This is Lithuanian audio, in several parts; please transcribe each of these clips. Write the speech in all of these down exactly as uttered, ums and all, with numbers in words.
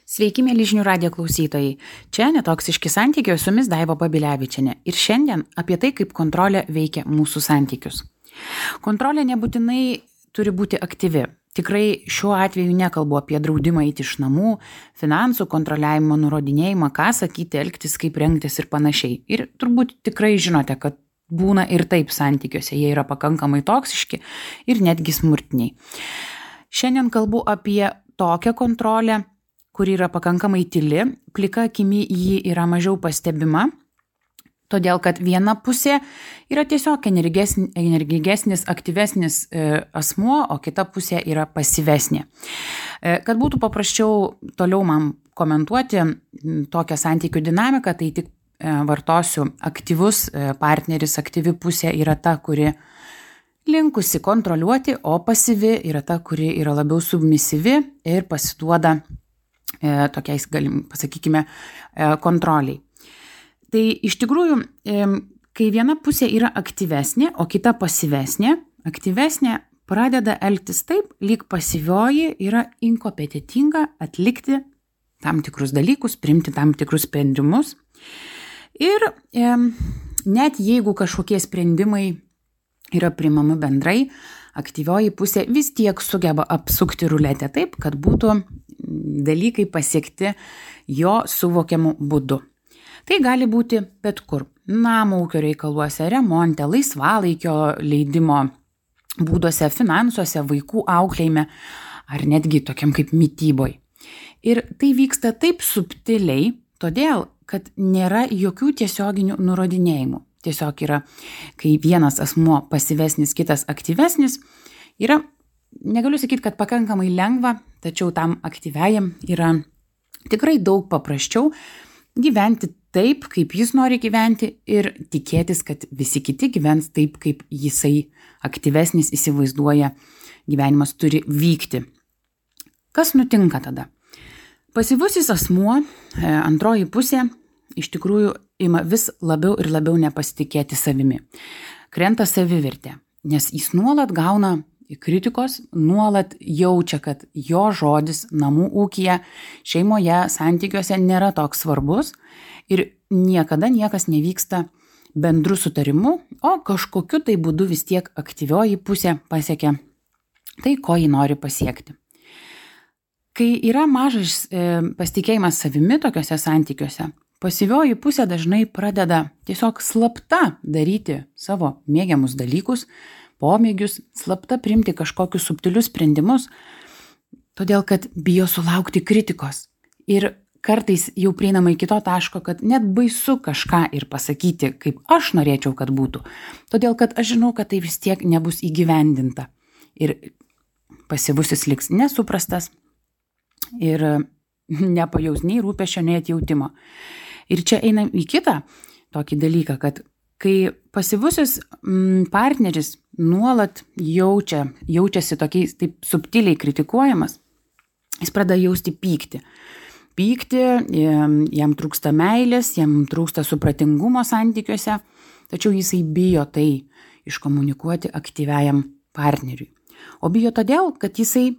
Sveiki, mėly žinių radijo klausytojai. Čia Netoksiški santykiai, su jumis Daiva Babilevičienė. Ir šiandien apie tai, kaip kontrolė veikia mūsų santykius. Kontrolė nebūtinai turi būti aktyvi. Tikrai šiuo atveju nekalbu apie draudimą eiti iš namų, finansų kontroliavimo, nurodinėjimą, ką sakyti, elgtis, kaip rengtis ir panašiai. Ir turbūt tikrai žinote, kad būna ir taip santykiuose, jie yra pakankamai toksiški ir netgi smurtiniai. Šiandien kalbu apie tokią kontrolę, kuri yra pakankamai tyli, plika akimi ji yra mažiau pastebima, todėl kad viena pusė yra tiesiog energingesnis, aktyvesnis asmuo, o kita pusė yra pasyvesnė. Kad būtų paprasčiau toliau man komentuoti tokią santykių dinamiką, tai tik vartosiu aktyvus partneris, aktyvi pusė yra ta, kuri linkusi kontroliuoti, o pasyvi yra ta, kuri yra labiau submisyvi ir pasiduoda tokiais, galim, pasakykime, kontroliai. Tai iš tikrųjų, kai viena pusė yra aktyvesnė, o kita pasyvesnė, aktyvesnė pradeda elgtis taip, lyg pasyvioji yra inkompetitinga atlikti tam tikrus dalykus, priimti tam tikrus sprendimus. Ir e, net jeigu kažkokie sprendimai yra priimami bendrai, aktyvioji pusė vis tiek sugeba apsukti ruletę taip, kad būtų dalykai pasiekti jo suvokiamu būdu. Tai gali būti bet kur. Namo ūkio reikaluose, remonte, laisvalaikio leidimo būduose, finansuose, vaikų auklėjime ar netgi tokiam kaip mityboj. Ir tai vyksta taip subtiliai, todėl, kad nėra jokių tiesioginių nurodinėjimų. Tiesiog yra, kai vienas asmuo pasyvesnis, kitas aktyvesnis, yra, negaliu sakyti, kad pakankamai lengva, tačiau tam aktyviajam yra tikrai daug paprasčiau gyventi taip, kaip jis nori gyventi ir tikėtis, kad visi kiti gyvens taip, kaip jisai aktyvesnis įsivaizduoja gyvenimas turi vykti. Kas nutinka tada? Pasyvusis asmuo, antroji pusė, iš tikrųjų ima vis labiau ir labiau nepasitikėti savimi. Krenta savivertė, nes jis nuolat gauna kritikos, nuolat jaučia, kad jo žodis namų ūkyje, šeimoje, santykiuose nėra toks svarbus ir niekada niekas nevyksta bendru sutarimu, o kažkokiu tai būdu vis tiek aktyvioji pusė pasiekia tai, ko ji nori pasiekti. Kai yra mažas e, pasitikėjimas savimi tokiuose santykiuose, pasyvioji pusė dažnai pradeda tiesiog slapta daryti savo mėgiamus dalykus, pomėgius, slapta priimti kažkokius subtilius sprendimus, todėl kad bijo sulaukti kritikos. Ir kartais jau prieinama iki to taško, kad net baisu kažką ir pasakyti, kaip aš norėčiau, kad būtų. Todėl kad aš žinau, kad tai vis tiek nebus įgyvendinta. Ir pasyvusis liks nesuprastas ir nepajaus nei rūpesčio, nei atjautimo. Ir čia einam į kitą tokį dalyką, kad kai pasyvusis partneris nuolat jaučia, jaučiasi tokiais taip subtiliai kritikuojamas, jis pradeda jausti pyktį. Pykti, jam trūksta meilės, jam trūksta supratingumo santykiuose, tačiau jisai bijo tai iškomunikuoti aktyviajam partneriui. O bijo todėl, kad jisai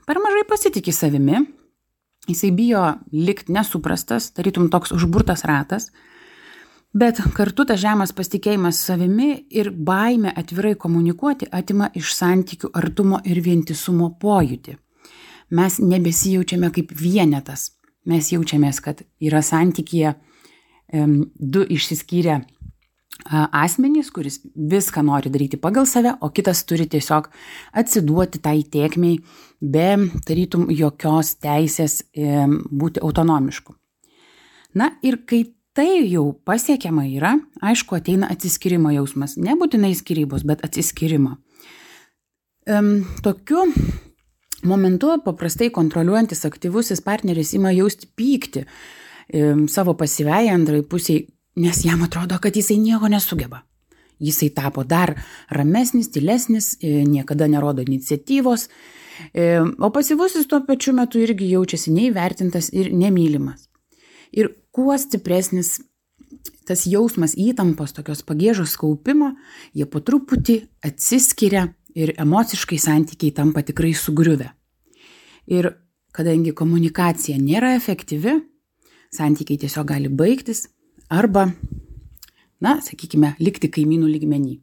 per mažai pasitiki savimi, jisai bijo likti nesuprastas, tarytum toks užburtas ratas, bet kartu tas žemas pasitikėjimas savimi ir baimė atvirai komunikuoti atima iš santykių artumo ir vientisumo pojūtį. Mes nebesijaučiame kaip vienetas. Mes jaučiamės, kad yra santykyje um, du išsiskyrę uh, asmenys, kuris viską nori daryti pagal save, o kitas turi tiesiog atsiduoti tai tėkmei be tarytum jokios teisės um, būti autonomišku. Na ir kai tai jau pasiekiama yra, aišku, ateina atsiskyrimo jausmas. Nebūtinai skyrybos, bet atsiskyrimo. Um, tokiu momentu paprastai kontroliuojantis aktyvusis partneris ima jausti pyktį um, savo pasyviai antrai pusiai, nes jam atrodo, kad jisai nieko nesugeba. Jisai tapo dar ramesnis, tylesnis, niekada nerodo iniciatyvos, o pasyvusis tuo pačiu metu irgi jaučiasi neįvertintas ir nemylimas. Ir kuo stipresnis tas jausmas įtampos, tokios pagiežos kaupimo, jie po truputį atsiskiria ir emociškai santykiai tampa tikrai sugriuvę. Ir kadangi komunikacija nėra efektyvi, santykiai tiesiog gali baigtis arba, na, sakykime, likti kaimynų lygmenį.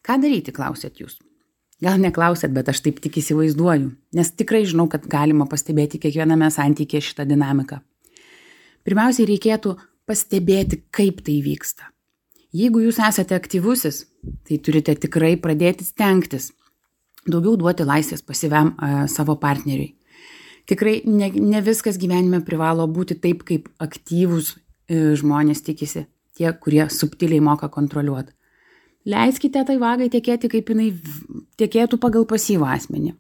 Ką daryti, klausėt jūs? Gal neklausėt, bet aš taip tik įsivaizduoju, nes tikrai žinau, kad galima pastebėti kiekviename santykėje šitą dinamiką. Pirmiausiai reikėtų pastebėti, kaip tai vyksta. Jeigu jūs esate aktyvusis, tai turite tikrai pradėti stengtis daugiau duoti laisvės pasyviam a, savo partneriui. Tikrai ne, ne viskas gyvenime privalo būti taip, kaip aktyvūs e, žmonės tikisi, tie, kurie subtiliai moka kontroliuoti. Leiskite tai vagai tekėti, kaip jinai tekėtų pagal pasyvą asmenį.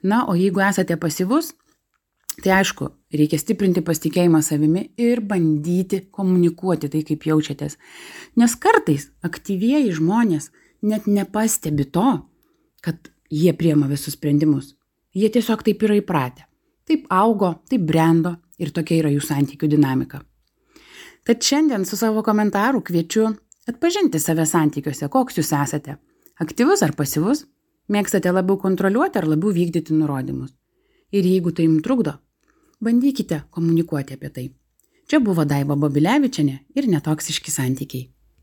Na, o jeigu esate pasyvus, tai aišku, reikia stiprinti pasitikėjimą savimi ir bandyti komunikuoti tai, kaip jaučiatės. Nes kartais aktyvieji žmonės net nepastebi to, kad jie priema visus sprendimus. Jie tiesiog taip yra įpratę. Taip augo, taip brendo ir tokia yra jų santykių dinamika. Tad šiandien su savo komentaru kviečiu atpažinti save santykiuose, koks jūs esate. Aktyvus ar pasyvus? Mėgstate labiau kontroliuoti ar labiau vykdyti nurodymus? Ir jeigu tai jums trukdo, bandykite komunikuoti apie tai. Čia buvo Daiva Babilevičienė ir Netoksiški santykiai.